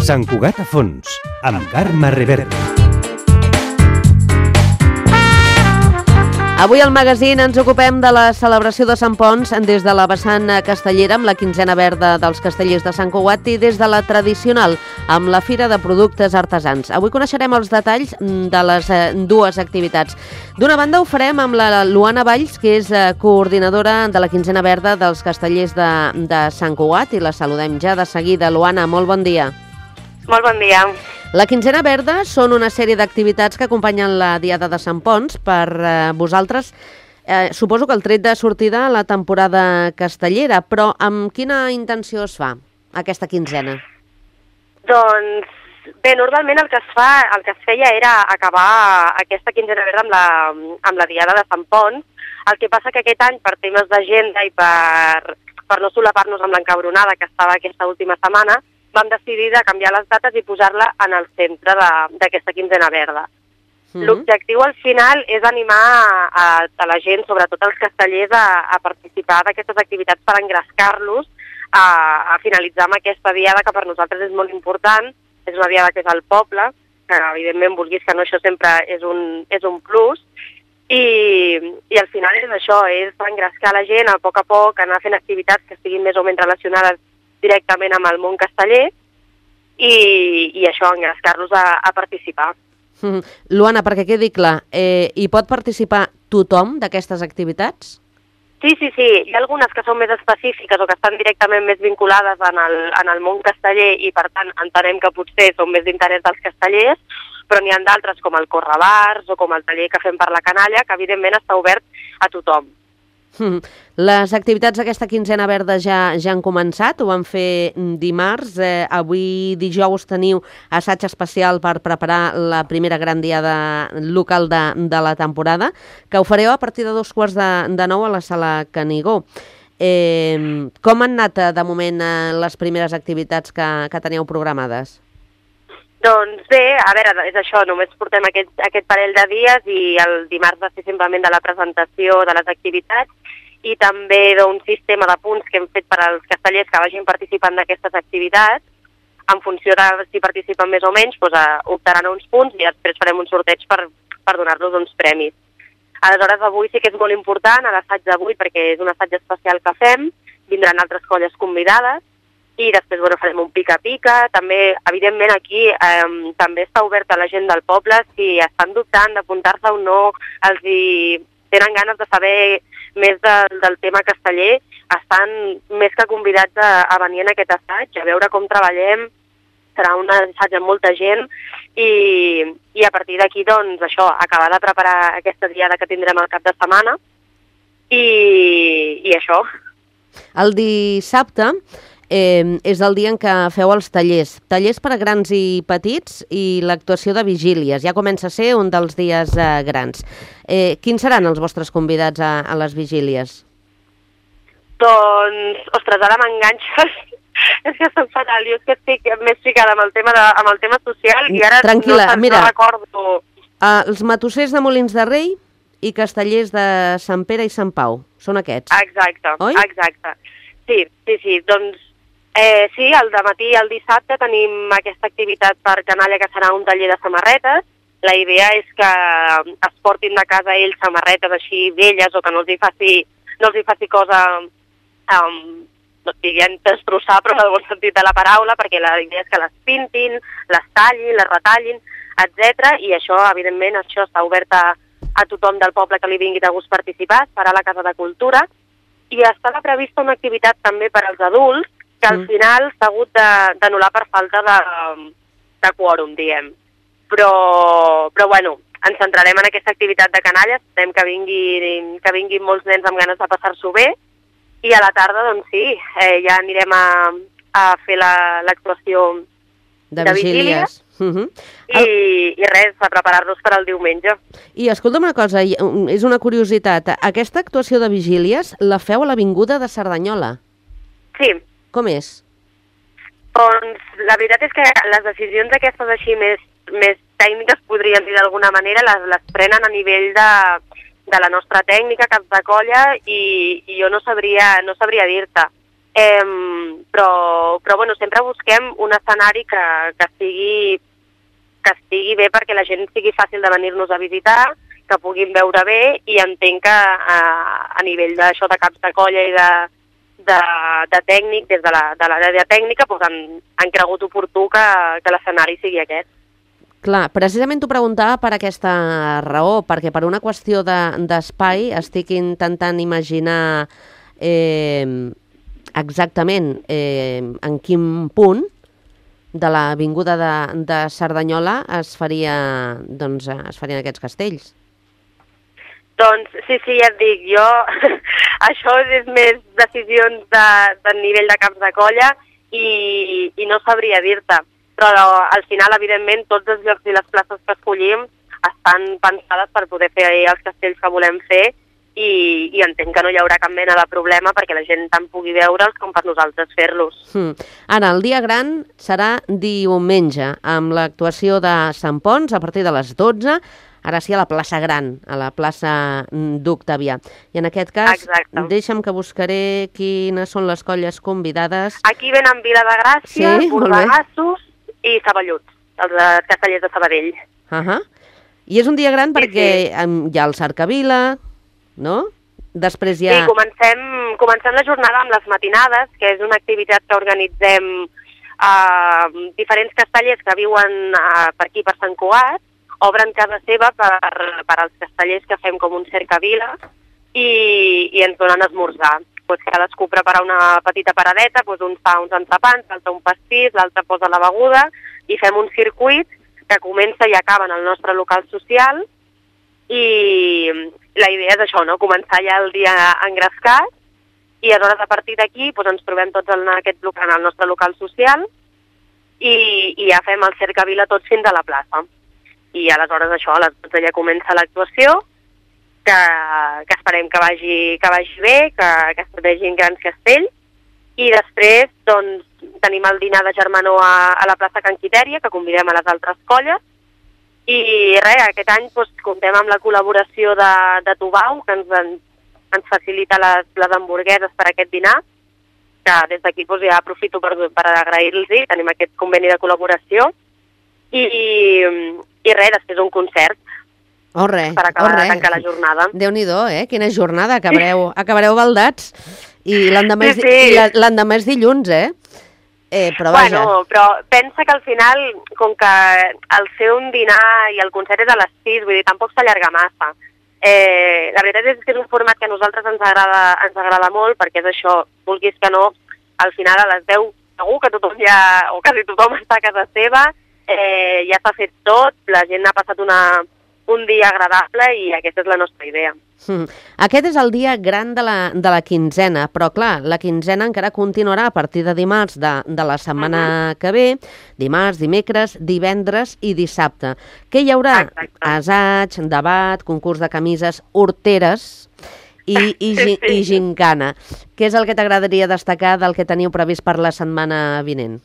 Sant Cugat a fons, amb Carme Reverte. Avui al magazín ens ocupem de la celebració de Sant Ponç des de la vessant castellera amb la quinzena verda dels castellers de Sant Cugat i des de la tradicional amb la Fira de Productes Artesans. Avui coneixerem els detalls de les dues activitats. D'una banda ho farem amb la Luana Valls, que és coordinadora de la quinzena verda dels castellers de Sant Cugat, i la saludem ja de seguida. Luana, molt bon dia. Molt bon dia. La quinzena verda són una sèrie d'activitats que acompanyen la Diada de Sant Ponç. Per vosaltres, suposo que el tret de sortida a la temporada castellera, però amb quina intenció es fa aquesta quinzena? Doncs bé, normalment el que es feia era acabar aquesta quinzena verda amb la Diada de Sant Ponç. El que passa que aquest any, per temes d'agenda i per no solapar-nos amb l'encabronada que estava aquesta última setmana, vam decidir de canviar les dates i posar-la en el centre d'aquesta quinzena verda. L'objectiu al final és animar a la gent, sobretot els castellers, a participar d'aquestes activitats per engrescar-los a finalitzar amb aquesta diada que per nosaltres és molt important. És una diada que és al poble, que evidentment vulguis que no, això sempre és un plus, i al final és això, és engrescar la gent a poc, anar fent activitats que estiguin més o menys relacionades directament amb el món casteller i això, engrescar-los a participar. Luana, perquè quedi clar, hi pot participar tothom d'aquestes activitats? Sí. Hi ha algunes que són més específiques o que estan directament més vinculades en el món casteller i, per tant, entenem que potser són més d'interès dels castellers, però n'hi ha d'altres com el correbars o com el taller que fem per la canalla, que evidentment està obert a tothom. Les activitats d'aquesta quinzena verda ja han començat, ho van fer dimarts. Avui dijous teniu assaig especial per preparar la primera gran diada local de la temporada, que ho fareu a partir de 8:45 a la sala Canigó. Com han anat de moment les primeres activitats que teníeu programades? Doncs bé, a veure, és això, només portem aquest parell de dies i el dimarts va ser simplement de la presentació de les activitats i també d'un sistema de punts que hem fet per als castellers que vagin participant d'aquestes activitats. En funció de si participen més o menys, doncs, optaran a uns punts i després farem un sorteig per donar-los uns premis. Aleshores, avui sí que és molt important, l'assaig d'avui, perquè és un assaig especial que fem, vindran altres colles convidades, i després farem un pica-pica. També, evidentment, aquí també està obert a la gent del poble. Si estan dubtant d'apuntar-se o no, els tenen ganes de saber més del tema casteller, estan més que convidats a venir en aquest assaig, a veure com treballem. Serà un assaig amb molta gent i a partir d'aquí, doncs, això, acabar de preparar aquesta diada que tindrem al cap de setmana i això. El dissabte és el dia en què feu els tallers per a grans i petits i l'actuació de vigílies. Ja comença a ser un dels dies grans. Quins seran els vostres convidats a les vigílies? Doncs, ostres, ara m'enganxes. És que soc fatal, jo és que estic més ficada amb el tema social i ara tranquil·la, no recordo. Els matossers de Molins de Rei i castellers de Sant Pere i Sant Pau. Són aquests, exacte, oi? Exacte. Sí, doncs sí, al dematí i el dissabte tenim aquesta activitat per canalla que serà un taller de samarretes. La idea és que es portin de casa ells samarretes així velles o que no els hi faci cosa, no diguem destrossar, però en el bon sentit de la paraula, perquè la idea és que les pintin, les tallin, les retallin, etc. I això, evidentment, això està obert a tothom del poble que li vingui de gust participar, es farà a la Casa de Cultura, i estava prevista una activitat també per als adults, que al final s'ha hagut d'anul·lar per falta de quòrum, diguem. Però bueno, ens centrarem en aquesta activitat de canalla, esperem que vinguin molts nens amb ganes de passar-s'ho bé, i a la tarda, doncs sí, ja anirem a fer l'actuació de vigílies. I res, a preparar-nos per al diumenge. I escolta'm una cosa, és una curiositat, aquesta actuació de vigílies la feu a l'Avinguda de Cerdanyola? Sí. Com és? Doncs la veritat és que les decisions aquestes així més tècniques, podríem dir d'alguna manera, les prenen a nivell de la nostra tècnica, caps de colla, i jo no sabria dir-te. però bueno, sempre busquem un escenari que estigui bé perquè la gent sigui fàcil de venir-nos a visitar, que puguin veure bé, i entenc que a nivell d'això de caps de colla i de tècnic, des de l'àrea tècnica, doncs han cregut oportú que l'escenari sigui aquest. Clar, precisament t'ho preguntava per aquesta raó, perquè per una qüestió d'espai estic intentant imaginar exactament en quin punt de l'avinguda de Cerdanyola es farien aquests castells. Doncs sí, ja et dic, jo això és més decisions de nivell de caps de colla i no sabria dir-te, però al final, evidentment, tots els llocs i les places que escollim estan pensades per poder fer els castells que volem fer i entenc que no hi haurà cap mena de problema perquè la gent tant pugui veure'ls com per nosaltres fer-los. Ara, el dia gran serà diumenge, amb l'actuació de Sant Ponç a partir de les 12, ara sí a la plaça Gran, a la plaça d'Octavià. I en aquest cas, deixa'm que buscaré quines són les colles convidades. Aquí venen Vila de Gràcia, Bordegassos i Saballuts, els castellers de Sabadell. I és un dia gran perquè hi ha el Cercavila, no? Després hi ha... Sí, comencem la jornada amb les matinades, que és una activitat que organitzem diferents castellers que viuen per aquí, per Sant Cugat, obren casa seva per als castellers que fem com un cercavila i ens donen esmorzar. Cadascú prepara una petita paradeta, un fa uns entrepans, l'altre un pastís, l'altre posa la beguda i fem un circuit que comença i acaba en el nostre local social i la idea és això, no? Començar ja el dia engrescat i aleshores a partir d'aquí ens trobem tots en el nostre local social i ja fem el cercavila tots fins a la plaça. I aleshores això, a les 12 ja comença l'actuació, que esperem que vagi bé, que es vegin grans castells, i després tenim el dinar de germanor a la plaça Can Quitèria, que convidem a les altres colles, i res, aquest any comptem amb la col·laboració de Tubau, que ens facilita les hamburgueses per aquest dinar, que des d'aquí ja aprofito per agrair-los-hi, tenim aquest conveni de col·laboració, i res, després un concert per acabar de tancar la jornada. Déu-n'hi-do, quina jornada, acabareu baldats. I l'endemà és dilluns, Però vaja. Però pensa que al final, com que el fer un dinar i el concert és a les 6, vull dir, tampoc s'allarga massa. La veritat és que és un format que a nosaltres ens agrada molt, perquè és això, vulguis que no, al final a les 10 segur que tothom o quasi tothom està a casa seva, ja s'ha fet tot, la gent ha passat un dia agradable i aquesta és la nostra idea. Aquest és el dia gran de la quinzena, però clar, la quinzena encara continuarà a partir de dimarts de la setmana que ve, dimarts, dimecres, divendres i dissabte. Què hi haurà? Assaig, debat, concurs de camises, horteres i gincana. Què és el que t'agradaria destacar del que teniu previst per la setmana vinent?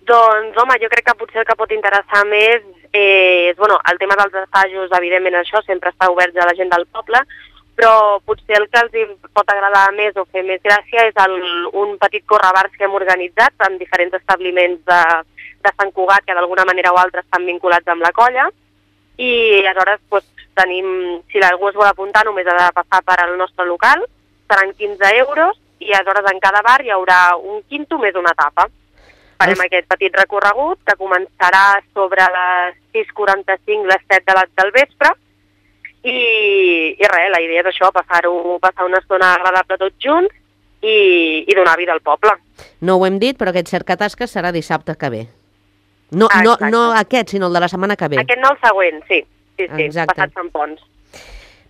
Doncs, home, jo crec que potser el que pot interessar més és, el tema dels assajos, evidentment això, sempre està obert a la gent del poble, però potser el que els pot agradar més o fer més gràcia és un petit correbars que hem organitzat en diferents establiments de Sant Cugat que d'alguna manera o altra estan vinculats amb la colla i aleshores tenim, si algú es vol apuntar només ha de passar per al nostre local, seran 15 euros i aleshores en cada bar hi haurà un quinto més una tapa. Farem aquest petit recorregut que començarà sobre les 6:45, les 7 del vespre i res, la idea és això, passar una estona agradable tots junts i donar vida al poble. No ho hem dit, però aquest cercatasques serà dissabte que ve. No aquest, sinó el de la setmana que ve. Aquest no, el següent, sí, passat Sant Ponç.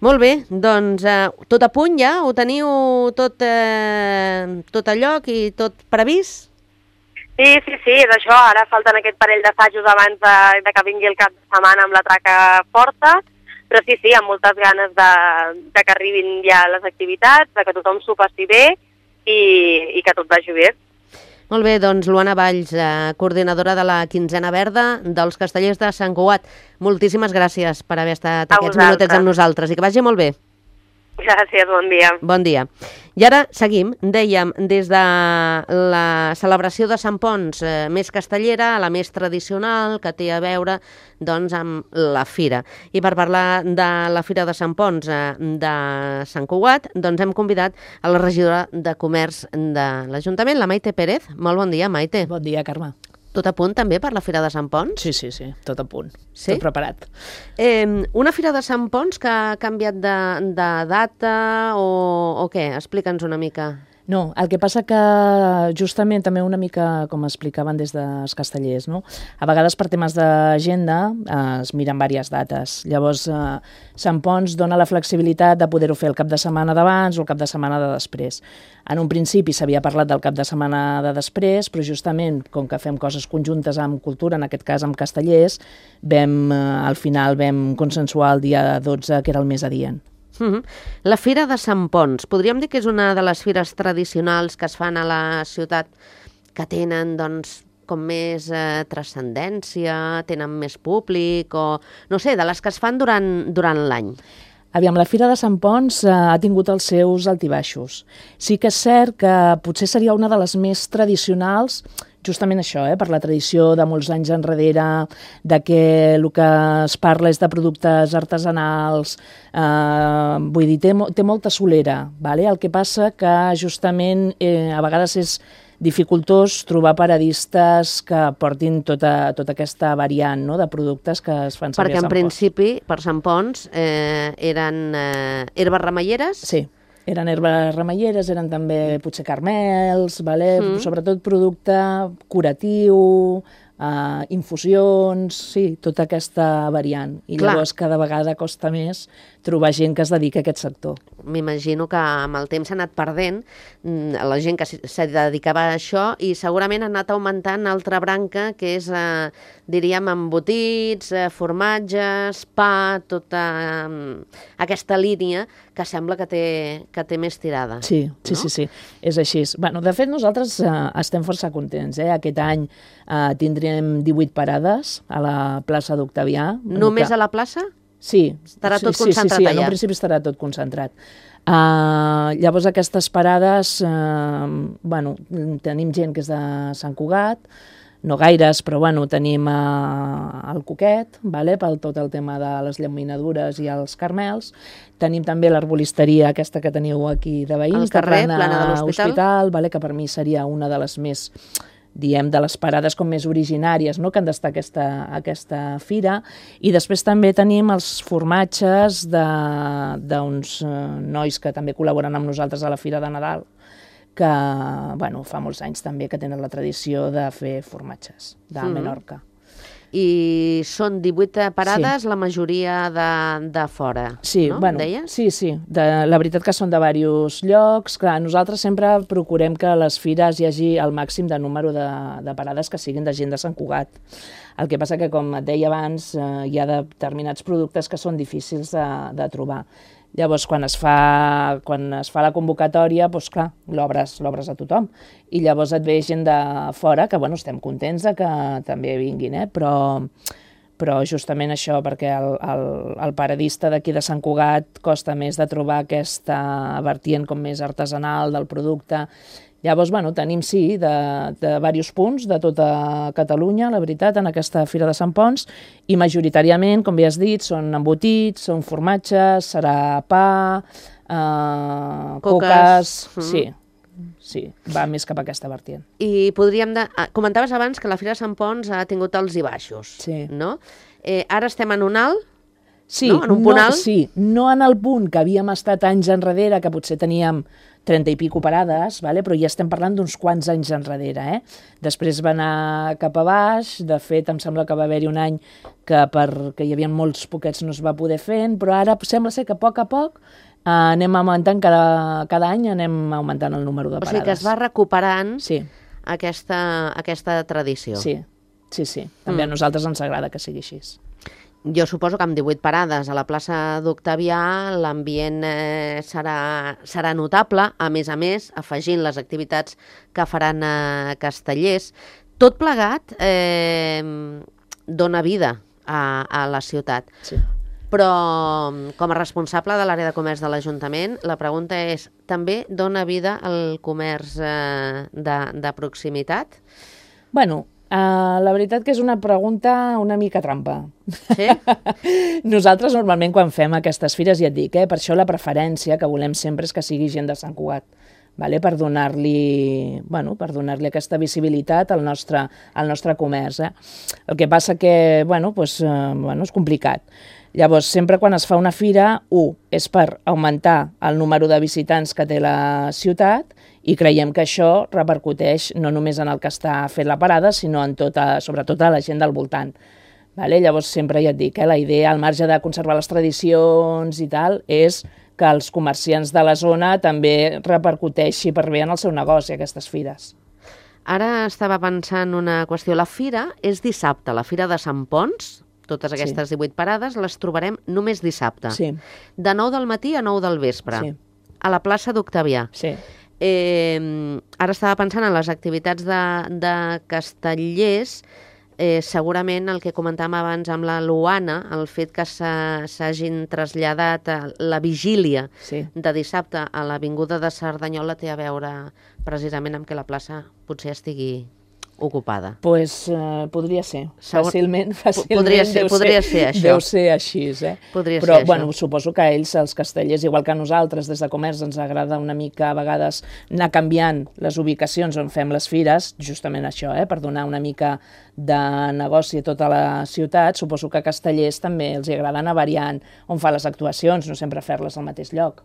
Molt bé, doncs tot a punt ja? Ho teniu tot a lloc i tot previst? Sí, és això. Ara falten aquest parell d'assajos abans de que vingui el cap de setmana amb la traca forta, però sí, amb moltes ganes de que arribin ja les activitats, de que tothom s'ho passi bé i que tot vagi bé. Molt bé, doncs Luana Valls, coordinadora de la quinzena verda dels castellers de Sant Cugat. Moltíssimes gràcies per haver estat aquests minutets amb nosaltres i que vagi molt bé. Gràcies, bon dia. Bon dia. I ara seguim, dèiem, des de la celebració de Sant Ponç més castellera a la més tradicional, que té a veure doncs, amb la fira. I per parlar de la Fira de Sant Ponç de Sant Cugat, doncs hem convidat a la regidora de Comerç de l'Ajuntament, la Maite Pérez. Molt bon dia, Maite. Bon dia, Carme. Tot a punt també per la Fira de Sant Ponç? Sí, tot a punt. Sí? Tot preparat. Una Fira de Sant Ponç que ha canviat de data o què? Explica'ns una mica. No, el que passa que justament també una mica, com explicaven des dels castellers, no? A vegades per temes d'agenda es miren diverses dates. Llavors, Sant Ponç dona la flexibilitat de poder-ho fer el cap de setmana d'abans o el cap de setmana de després. En un principi s'havia parlat del cap de setmana de després, però justament, com que fem coses conjuntes amb cultura, en aquest cas amb castellers, al final vam consensuar el dia 12, que era el més adient. La Fira de Sant Ponç, podríem dir que és una de les fires tradicionals que es fan a la ciutat que tenen, doncs, com més transcendència, tenen més públic, o no sé, de les que es fan durant l'any. Aviam, la Fira de Sant Ponç ha tingut els seus altibaixos. Sí que és cert que potser seria una de les més tradicionals, justament això, per la tradició de molts anys enrere, de que el que es parla és de productes artesanals, vull dir, té molta solera, vale? El que passa que justament a vegades és dificultós trobar paradistes que portin tota aquesta variant, no?, de productes que es fan servir a Sant Ponç. Perquè en principi, per Sant Ponç, eren herbes remeieres? Sí. Eren herbes remeieres, eren també potser carmels, vale? Sobretot producte curatiu, infusions, sí, tota aquesta variant. I llavors cada vegada costa més trobar gent que es dedica a aquest sector. M'imagino que amb el temps s'ha anat perdent la gent que se dedicava a això i segurament ha anat augmentant altra branca que és, diríem, embotits, formatges, pa, tota aquesta línia que sembla que té més tirada. Sí, és així. Bueno, de fet, nosaltres estem força contents. Aquest any tindrem 18 parades a la plaça d'Octavià. Només a la plaça? Sí. Estarà tot concentrat allà? Sí, en un principi estarà tot concentrat. Llavors aquestes parades, tenim gent que és de Sant Cugat, no gaires, però tenim el Coquet, per tot el tema de les llaminadures i els carmels. Tenim també l'arbolisteria aquesta que teniu aquí de veïns, al carrer, plana de l'Hospital, que per mi seria una de les més, diem, de les parades com més originàries, no?, que han d'estar aquesta fira. I després també tenim els formatges d'uns nois que també col·laboren amb nosaltres a la Fira de Nadal, que fa molts anys també que tenen la tradició de fer formatges de Menorca. I són 18 parades, la majoria de fora, no? Deies? Sí. La veritat que són de diversos llocs. Clar, nosaltres sempre procurem que a les fires hi hagi el màxim de número de parades que siguin de gent de Sant Cugat. El que passa que, com et deia abans, hi ha determinats productes que són difícils de trobar. Llavors, quan es fa la convocatòria, doncs clar, l'obres a tothom. I llavors et ve gent de fora, que estem contents que també vinguin, però justament això, perquè el paradista d'aquí de Sant Cugat costa més de trobar aquesta vertient com més artesanal del producte. Llavors, tenim, sí, de diversos punts de tota Catalunya, la veritat, en aquesta Fira de Sant Ponç, i majoritàriament, com bé has dit, són embotits, són formatges, serà pa, coques... Sí, va més cap a aquesta vertient. I comentaves abans que la Fira de Sant Ponç ha tingut alts i baixos, no? Ara estem en un alt? Sí, en un punt alt? Sí, no en el punt que havíem estat anys enrere, que potser teníem 30 i pico parades, però ja estem parlant d'uns quants anys enrere. Després va anar cap a baix, de fet em sembla que va haver-hi un any que perquè hi havia molts poquets no es va poder fer, però ara sembla ser que a poc anem augmentant, cada any anem augmentant el número de parades. O sigui que es va recuperant aquesta tradició. Sí. També a nosaltres ens agrada que sigui així. Jo suposo que amb 18 parades a la plaça d'Octavià l'ambient serà notable, a més, afegint les activitats que faran castellers. Tot plegat dona vida a la ciutat. Sí. Però com a responsable de l'àrea de comerç de l'Ajuntament, la pregunta és, també dona vida al comerç de proximitat? Bueno, la veritat que és una pregunta una mica trampa. Sí? Nosaltres normalment quan fem aquestes fires, ja et dic, per això la preferència que volem sempre és que sigui gent de Sant Cugat, vale? Per donar-li aquesta visibilitat al nostre comerç. El que passa que és complicat. Llavors, sempre quan es fa una fira, és per augmentar el número de visitants que té la ciutat i creiem que això repercuteix no només en el que està fent la parada, sinó en sobretot a la gent del voltant. Vale? Llavors, sempre ja et dic, la idea, al marge de conservar les tradicions i tal, és que els comerciants de la zona també repercuteixi per bé en el seu negoci, aquestes fires. Ara estava pensant una qüestió. La fira és dissabte, la fira de Sant Ponç. Totes aquestes 18 parades les trobarem només dissabte. Sí. De 9 del matí a 9 del vespre. Sí. A la plaça d'Octavià. Sí. Ara estava pensant en les activitats de Castellers. Segurament el que comentàvem abans amb la Luana, el fet que s'hagin traslladat a la vigília de dissabte a l'Avinguda de Cerdanyola té a veure precisament amb que la plaça potser estigui ocupada. Doncs podria ser. Fàcilment podria ser això. Deu ser així, Però suposo que ells, els castellers, igual que nosaltres, des de comerç, ens agrada una mica a vegades anar canviant les ubicacions on fem les fires, justament això, per donar una mica de negoci a tota la ciutat. Suposo que a castellers també els agrada anar variant on fa les actuacions, no sempre fer-les al mateix lloc.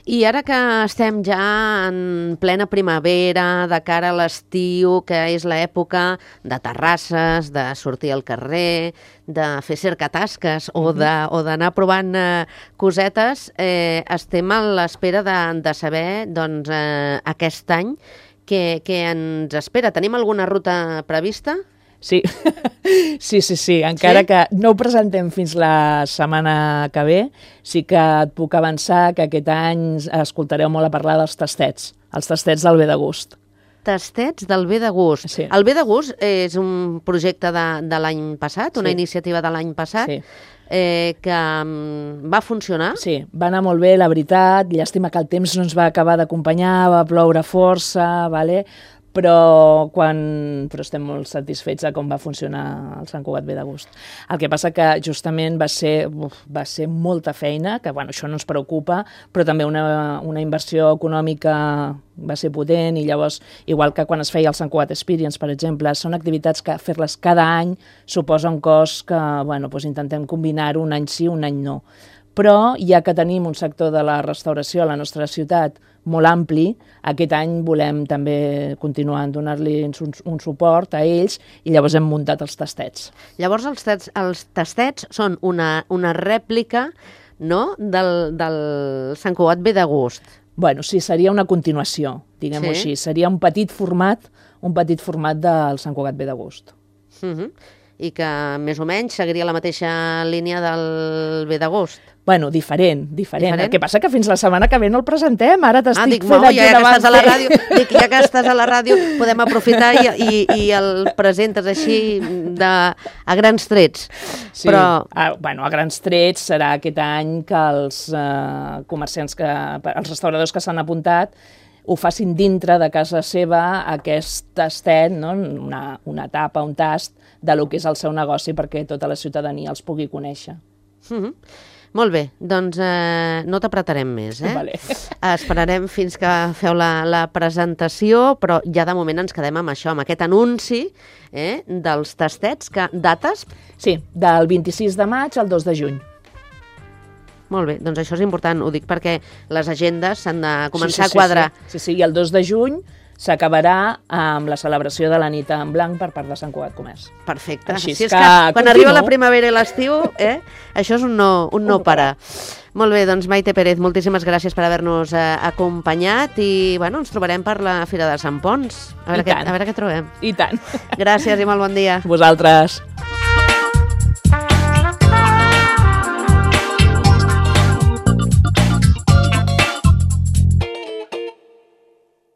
I ara que estem ja en plena primavera, de cara a l'estiu, que és l'època de terrasses, de sortir al carrer, de fer cercatasques o d'anar provant cosetes, estem a l'espera de saber aquest any què ens espera. Tenim alguna ruta prevista? Sí, encara que no ho presentem fins la setmana que ve, sí que et puc avançar que aquest any escoltareu molt a parlar dels tastets, els tastets del Bé de Gust. Tastets del Bé de Gust. Sí. El Bé de Gust és un projecte de l'any passat, una iniciativa de l'any passat, que va funcionar. Sí, va anar molt bé, la veritat. Llàstima que el temps no ens va acabar d'acompanyar, va ploure força, però estem molt satisfets de com va funcionar el Sant Cugat Bé de Gust. El que passa que justament va ser molta feina, que això no ens preocupa, però també una inversió econòmica va ser potent, i llavors, igual que quan es feia el Sant Cugat Experience, per exemple, són activitats que fer-les cada any suposa un cost que intentem combinar-ho un any sí, un any no. Però, ja que tenim un sector de la restauració a la nostra ciutat molt ampli, aquest any volem també continuar a donar-li un suport a ells, i llavors hem muntat els tastets. Llavors els tastets són una rèplica, no?, del Sant Cugat Bé de Gust. Sí, seria una continuació, diguem-ho així. Seria un petit format del Sant Cugat Bé de Gust. I que més o menys seguiria la mateixa línia del Bé de Gust. Diferent. El que passa que fins la setmana que ve no el presentem, ara t'estic fent aquí davant. Ja que estàs a la ràdio, podem aprofitar i el presentes així a grans trets. Sí, però a grans trets serà aquest any que els comerciants, els restauradors que s'han apuntat, ho facin dintre de casa seva, aquest tastet, una tapa, un tast del que és el seu negoci, perquè tota la ciutadania els pugui conèixer. Molt bé, doncs no t'apretarem més. Vale. Esperarem fins que feu la presentació, però ja de moment ens quedem amb això, amb aquest anunci dels tastets. Dates? Sí, del 26 de maig al 2 de juny. Molt bé, doncs això és important, ho dic perquè les agendes s'han de començar a quadrar. Sí, i el 2 de juny s'acabarà amb la celebració de la nit en blanc per part de Sant Cugat Comerç. Perfecte. Així és que quan arriba la primavera i l'estiu, això és un no parar. Molt bé, doncs Maite Pérez, moltíssimes gràcies per haver-nos acompanyat i ens trobarem per la Fira de Sant Ponç. A veure què trobem. I tant. Gràcies i molt bon dia. Vosaltres.